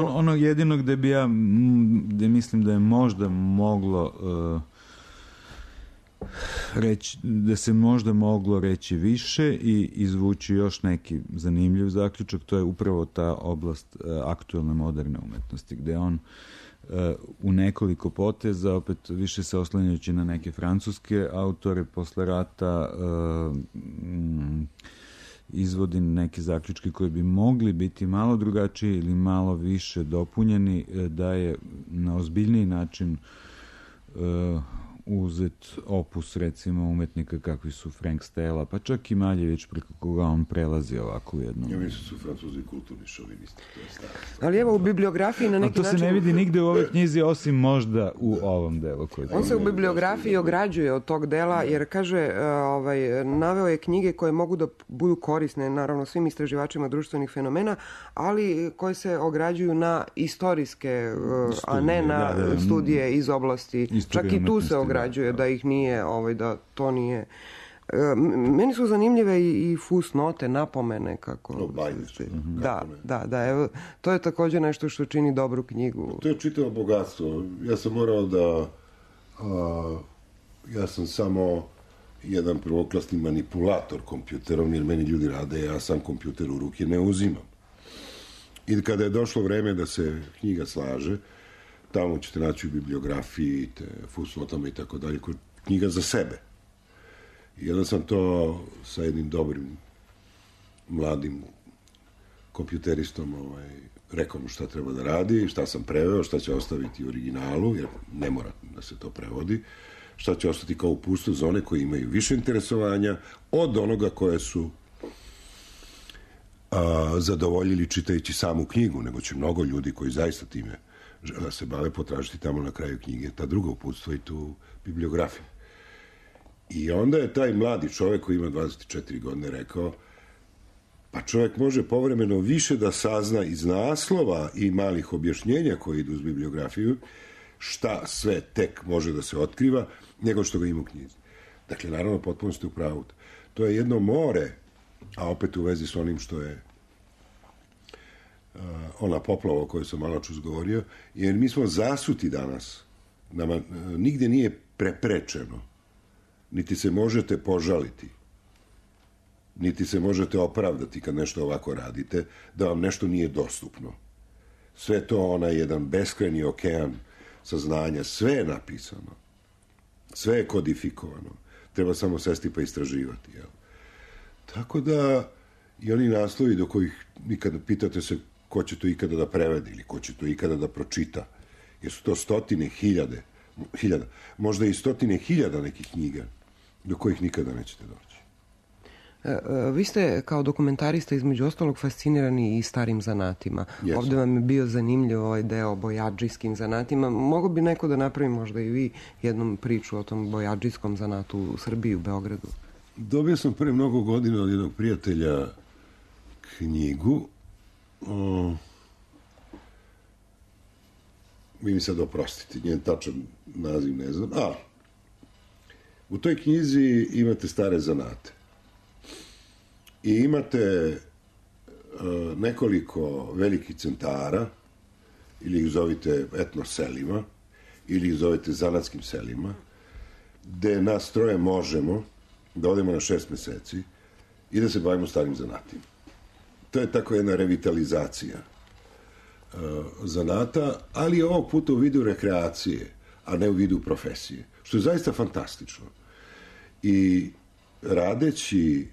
Ono jedino gde mislim da je možda moglo reći, da se možda moglo reći više i izvući još neki zanimljiv zaključak, to je upravo ta oblast aktuelne moderne umetnosti, gde on u nekoliko poteza, opet više se oslanjajući na neke francuske autore posle rata, izvodi neke zaključke koji bi mogli biti malo drugačiji ili malo više dopunjeni, da je na ozbiljniji način uzet opus, recimo, umetnika kakvi su Frank Stella, pa čak i Maljević, preko koga on prelazi ovako u jednom. Ja mislim su Francuzi kulturni šovinisti. Ali evo u bibliografiji na neki način... To se ne vidi nigde u ovoj knjizi, osim možda u ovom delu. On se u bibliografiji ograđuje od tog dela, jer kaže, naveo je knjige koje mogu da budu korisne, naravno, svim istraživačima društvenih fenomena, ali koje se ograđuju na istorijske, a ne na studije iz oblasti. Čak i tu se ograđuje da ih nije, da to nije... Meni su zanimljive i fusnote, napomene kako... Da, evo, to je također nešto što čini dobru knjigu. To je čitavo bogatstvo. Ja sam morao da... Ja sam samo jedan prvoklasni manipulator kompjuterom, jer meni ljudi rade, ja sam kompjuter u ruke ne uzimam. I kada je došlo vreme da se knjiga slaže, tamo ćete naći u bibliografiji, fusnotama i tako dalje, knjiga za sebe. I onda sam to sa jednim dobrim mladim kompjuteristom rekao mu šta treba da radi, šta sam preveo, šta će ostaviti u originalu, jer ne mora da se to prevodi, šta će ostati kao uputstvo za one koji imaju više interesovanja od onoga koje su zadovoljili čitajući samu knjigu, nego će mnogo ljudi koji zaista time žele da se bave potražiti tamo na kraju knjige ta druga uputstva i tu bibliografiju. I onda je taj mladi čovjek koji ima 24 godine rekao, pa čovjek može povremeno više da sazna iz naslova i malih objašnjenja koji idu uz bibliografiju, šta sve tek može da se otkriva, nego što ga ima u knjizi. Dakle, naravno, potpuno ste u pravu. To je jedno more, a opet u vezi s onim što je ona poplava o kojoj sam malo čus govorio, jer mi smo zasuti danas. Nama nigde nije preprečeno, niti se možete požaliti, niti se možete opravdati kad nešto ovako radite, da vam nešto nije dostupno. Sve to onaj jedan beskrajni okean saznanja, sve je napisano, sve je kodifikovano, treba samo sesti pa istraživati, jel? Tako da i oni naslovi do kojih nikada pitate se ko će to ikada da prevede ili ko će to ikada da pročita, jer su to stotine hiljada, možda i stotine hiljada nekih knjiga do kojih nikada nećete doći. Vi ste kao dokumentarista između ostalog fascinirani i starim zanatima. Yes. Ovdje vam je bio zanimljiv ovaj deo o bojađijskim zanatima. Mogu bi neko da napravi možda i vi jednom priču o tom bojađijskom zanatu u Srbiji, u Beogradu? Dobio sam pre mnogo godina od jednog prijatelja knjigu. Vi mi sad oprostite, njen tačan naziv ne znam. U toj knjizi imate stare zanate. I imate nekoliko velikih centara, ili ih zovite etno selima, ili ih zovite zanatskim selima, gde nas troje možemo da odemo na 6 meseci i da se bavimo starim zanatima. To je tako jedna revitalizacija zanata, ali ovog puta u vidu rekreacije, a ne u vidu profesije, što je zaista fantastično. I radeći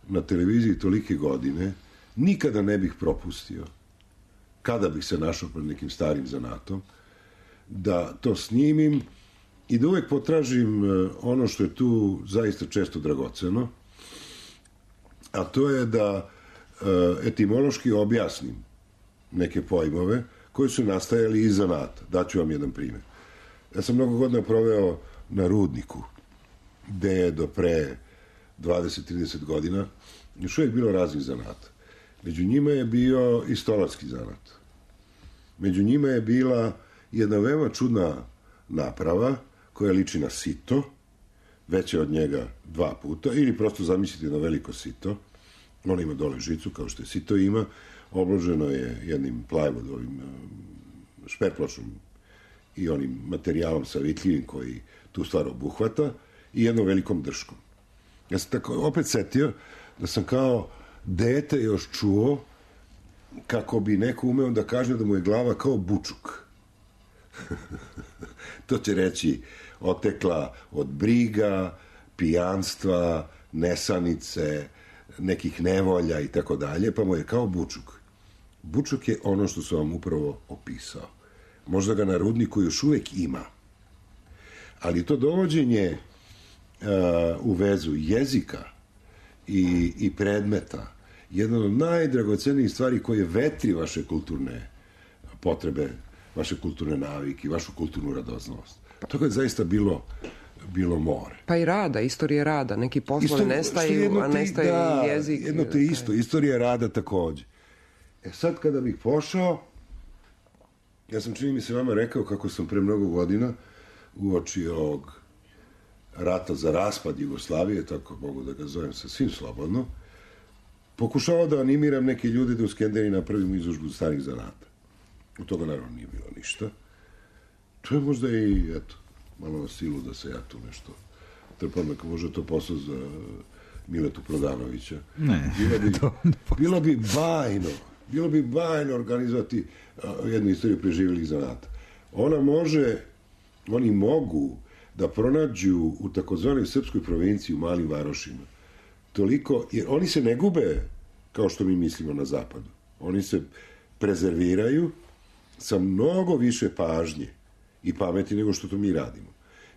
na televiziji tolike godine, nikada ne bih propustio, kada bih se našao pred nekim starim zanatom, da to snimim i da uvek potražim ono što je tu zaista često dragoceno, a to je da etimološki objasnim neke pojmove koji su nastajali iz zanata. Daću vam jedan primjer. Ja sam mnogo godina proveo na rudniku, gde je do pre 20-30 godina još uvijek bilo raznih zanata. Među njima je bio i stolarski zanat. Među njima je bila jedna veoma čudna naprava koja liči na sito, veće od njega 2 puta, ili prosto zamislite jedno veliko sito. Ono ima dole žicu, kao što je sito ima, obloženo je jednim plajvodovim šperpločom i onim materijalom savitljivim koji tu stvar obuhvata i jednom velikom drškom. Ja sam tako opet setio da sam kao dete još čuo kako bi neko umeo da kaže da mu je glava kao bučuk. To će reći otekla od briga, pijanstva, nesanice, nekih nevolja i tako dalje, pa mu je kao bučuk. Bučuk je ono što sam vam upravo opisao. Možda ga na rudniku još uvek ima. Ali to dovođenje u vezu jezika i predmeta, jedna od najdragocenijih stvari koje vetri vaše kulturne potrebe, vaše kulturne navike, vašu kulturnu radosnost. To je zaista bilo more. Pa i rada, istorije rada. Neki poslovi nestaju, a nestaje i jezik. Jedno te isto, istorija rada takođe. Sad kada bih pošao, ja sam čini mi se vama rekao kako sam pre mnogo godina uoči ovog rata za raspad Jugoslavije, tako mogu da ga zovem sasvim slobodno, pokušao da animiram neke ljude da u Skenderi napravimo izložbu starih zanata. Od toga naravno nije bilo ništa. To je možda i, eto, malo na silu da se ja tu nešto trpam, ako možda to posao za Miletu Prodanovića. Ne, bilo bi bajno organizovati jednu istoriju preživjelih zanata. Oni mogu da pronađu u takozvanoj srpskoj provinciji, u malim varošima, toliko, jer oni se ne gube kao što mi mislimo na zapadu. Oni se prezerviraju sa mnogo više pažnje i pameti nego što to mi radimo.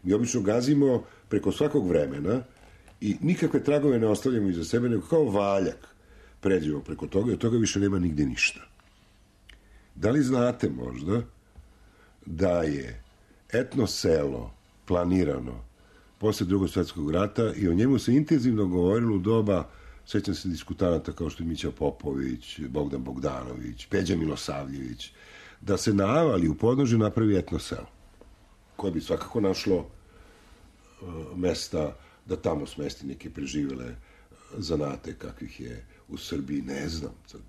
Mi obično gazimo preko svakog vremena i nikakve tragove ne ostavljamo iza sebe, nego kao valjak pređemo preko toga i od toga više nema nigde ništa. Da li znate možda da je etno selo planirano posle Drugog svjetskog rata i o njemu se intenzivno govorilo u doba, sećam se diskutanata kao što je Mića Popović, Bogdan Bogdanović, Peđa Milosavljević, da se na Avali u podnožju napravi etno selo, koje bi svakako našlo mesta da tamo smesti neke preživele zanate kakvih je u Srbiji, ne znam sad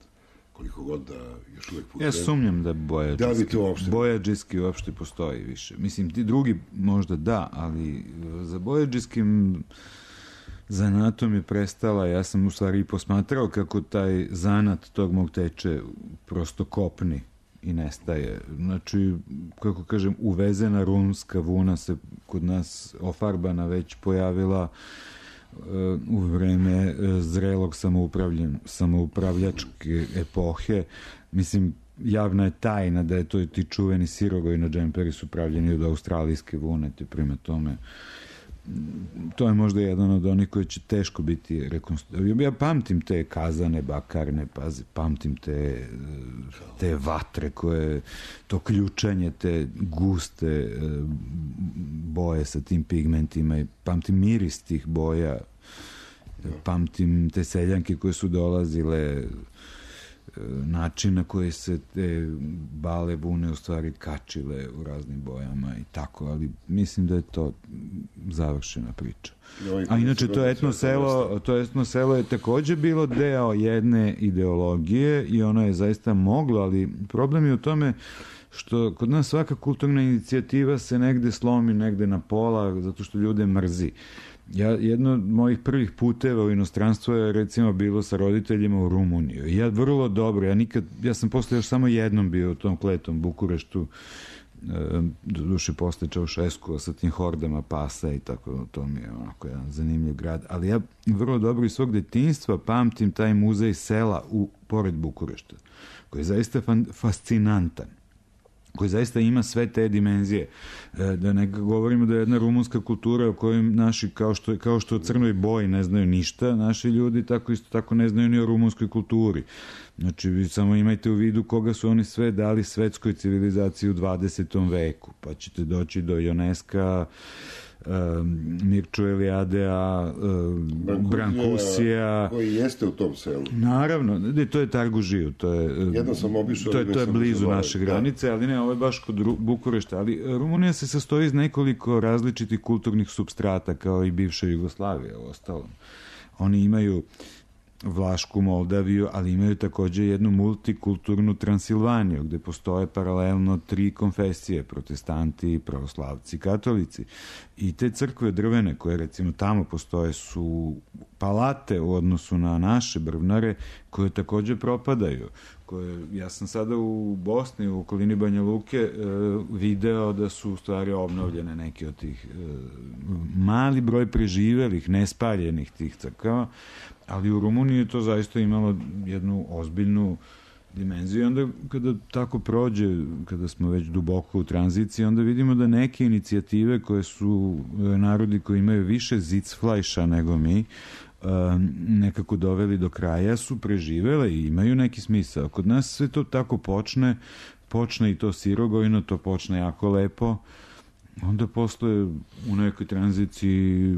koliko god da još uvek putujem. Ja sumnjam da bojađiski uopšte postoji više. Mislim, ti drugi možda da, ali za bojađiskim zanatom je prestala. Ja sam u stvari posmatrao kako taj zanat tog mog teče prosto kopni i nestaje. Znači, kako kažem, uvezena runska vuna se kod nas ofarbana već pojavila u vreme zrelog samoupravljačke epohe. Mislim, javna je tajna da je to ti čuveni sirogoji na džemperi su pravljeni od australijske vune, te prema tome to je možda jedan od onih koji će teško biti rekonstruirani. Ja pamtim te kazane, bakarne, pamtim te vatre koje, to ključanje, te guste boje sa tim pigmentima i pamtim miris tih boja, pamtim te seljanke koje su dolazile, način na koji se te bale vune u stvari kačile u raznim bojama i tako, ali mislim da je to završena priča. A inače to etno selo je takođe bilo deo jedne ideologije i ono je zaista moglo, ali problem je u tome što kod nas svaka kulturna inicijativa se negde slomi, negde na pola, zato što ljude mrzi. Jedno od mojih prvih puteva u inostranstvo je recimo bilo sa roditeljima u Rumuniju. Ja vrlo dobro, ja sam posle još samo jednom bio u tom kletom Bukureštu, doduše posle Čaušeskua sa tim hordama pasa i tako, to mi je onako jedan zanimljiv grad, ali ja vrlo dobro iz svog detinjstva pamtim taj muzej sela pored Bukurešta, koji je zaista fascinantan, koji zaista ima sve te dimenzije. Da ne govorimo da je jedna rumunska kultura o kojoj naši, kao što o Crnoj Boji ne znaju ništa, naši ljudi isto tako ne znaju ni o rumunskoj kulturi. Znači, vi samo imajte u vidu koga su oni sve dali svetskoj civilizaciji u 20. veku, pa ćete doći do Ioneska, Mirču Eliadea, Brankusija, koji jeste u tom selu. Naravno, to je Targužiju, jedno sam obišao, to je blizu naše granice, ali ne, ovo je baš kod Bukurešta, ali Rumunija se sastoji iz nekoliko različitih kulturnih supstrata, kao i bivša Jugoslavija u ostalom. Oni imaju Vlašku Moldaviju, ali imaju takođe jednu multikulturnu Transilvaniju, gde postoje paralelno 3 konfesije, protestanti, pravoslavci, katolici. I te crkve drvene koje recimo tamo postoje su palate u odnosu na naše brvnare koje takođe propadaju. Ja sam sada u Bosni, u okolini Banja Luke, video da su u stvari obnovljene neke od tih mali broj preživelih, nespaljenih tih crkava, ali u Rumuniji je to zaista imalo jednu ozbiljnu dimenziju i onda kada tako prođe, kada smo već duboko u tranziciji, onda vidimo da neke inicijative koje su narodi koji imaju više zicflajša nego mi, nekako doveli do kraja, su preživele i imaju neki smisao. Kod nas sve to tako počne i to sirogojno, to počne jako lepo, onda posle u nekoj tranziciji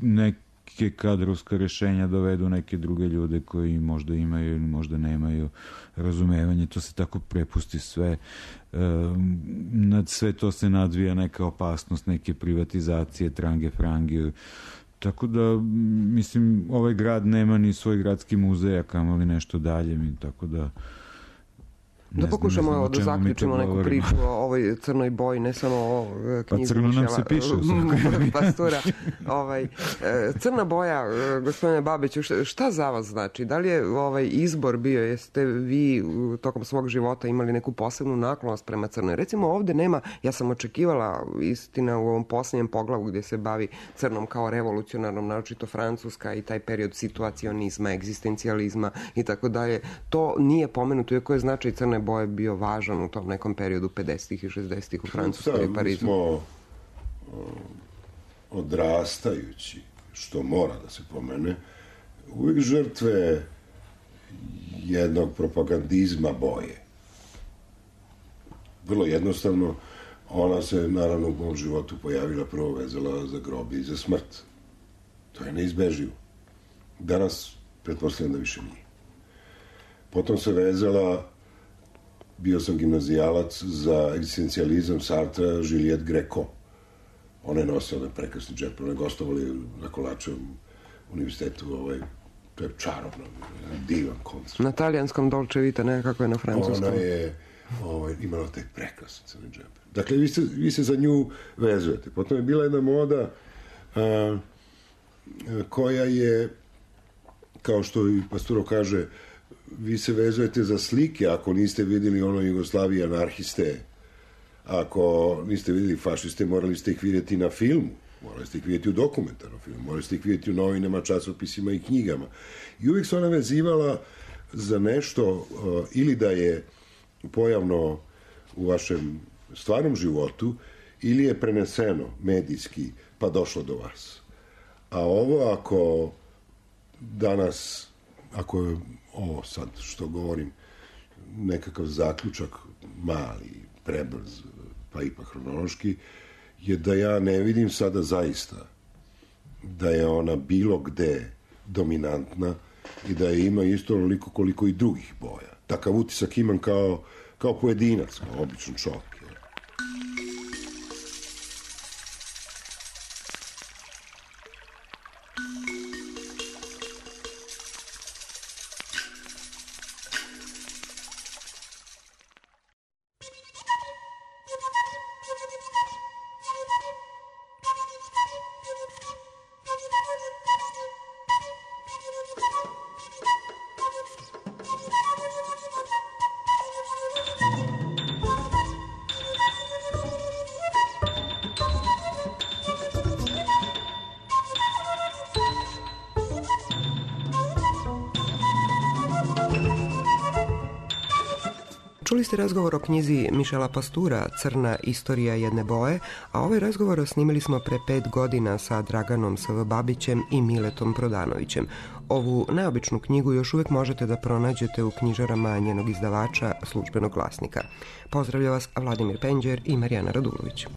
neke kadrovska rešenja dovedu neke druge ljude koji možda imaju ili možda nemaju razumevanje, to se tako prepusti sve, nad sve to se nadvija neka opasnost, neke privatizacije, trange frange. Tako da, mislim, ovaj grad nema ni svoj gradski muzej, a kamoli nešto dalje, tako da Da pokušamo da zaključimo neku priču o ovoj crnoj boji, ne samo o knjizi crno nam se piše Pastura. Crna boja, gospodine Babiću, šta za vas znači? Da li je izbor bio, jeste vi tokom svog života imali neku posebnu naklonost prema crnoj? Recimo ovde nema, ja sam očekivala, istina, u ovom posljednjem poglavu gdje se bavi crnom kao revolucionarnom, naročito Francuska i taj period situacionizma, egzistencijalizma i tako dalje. To nije pomenuto, iako je značaj crne boje bio važan u tom nekom periodu 50-ih i 60-ih u Francuskoj i Parizu. Mi smo odrastajući, što mora da se pomene, uvijek žrtve jednog propagandizma boje. Vrlo jednostavno, ona se naravno u mom životu pojavila, prvo vezala za grob i za smrt. To je neizbeživo. Danas pretpostavljam da više nije. Potom se vezala, bio sam gimnazijalac, za egzistencijalizam Sartra, Juliette Greco. Ona je nosila onaj prekrasni džep, ona je gostovali na Kolačevom univerzitetu, to je čarobno, divan koncert. Na talijanskom Dolce Vita, ne kako je na francuskom. Ona je imala taj prekrasni crni džep. Dakle, vi se za nju vezujete. Potom je bila jedna moda koja je, kao što i Pasturo kaže, vi se vezujete za slike ako niste vidjeli ono Jugoslavije anarhiste, ako niste vidjeli fašiste, morali ste ih vidjeti na filmu, morali ste ih vidjeti u dokumentarnom filmu, morali ste ih vidjeti u novinama, časopisima i knjigama. I uvijek se ona vezivala za nešto ili da je pojavno u vašem stvarnom životu ili je preneseno medijski pa došlo do vas. A ovo ako danas, ako je ovo sad što govorim nekakav zaključak mali, prebrz, pa ipak hronološki, je da ja ne vidim sada zaista da je ona bilo gde dominantna i da je ima isto onoliko koliko i drugih boja. Takav utisak imam kao pojedinac, kao običan čovjek. Čuli ste razgovor o knjizi Michela Pastura Crna istorija jedne boje, a ovaj razgovor snimili smo pre 5 godina sa Draganom S.V. Babićem i Miletom Prodanovićem. Ovu neobičnu knjigu još uvijek možete da pronađete u knjižarama njenog izdavača Službenog glasnika. Pozdravlja vas Vladimir Penđer i Marijana Radulović.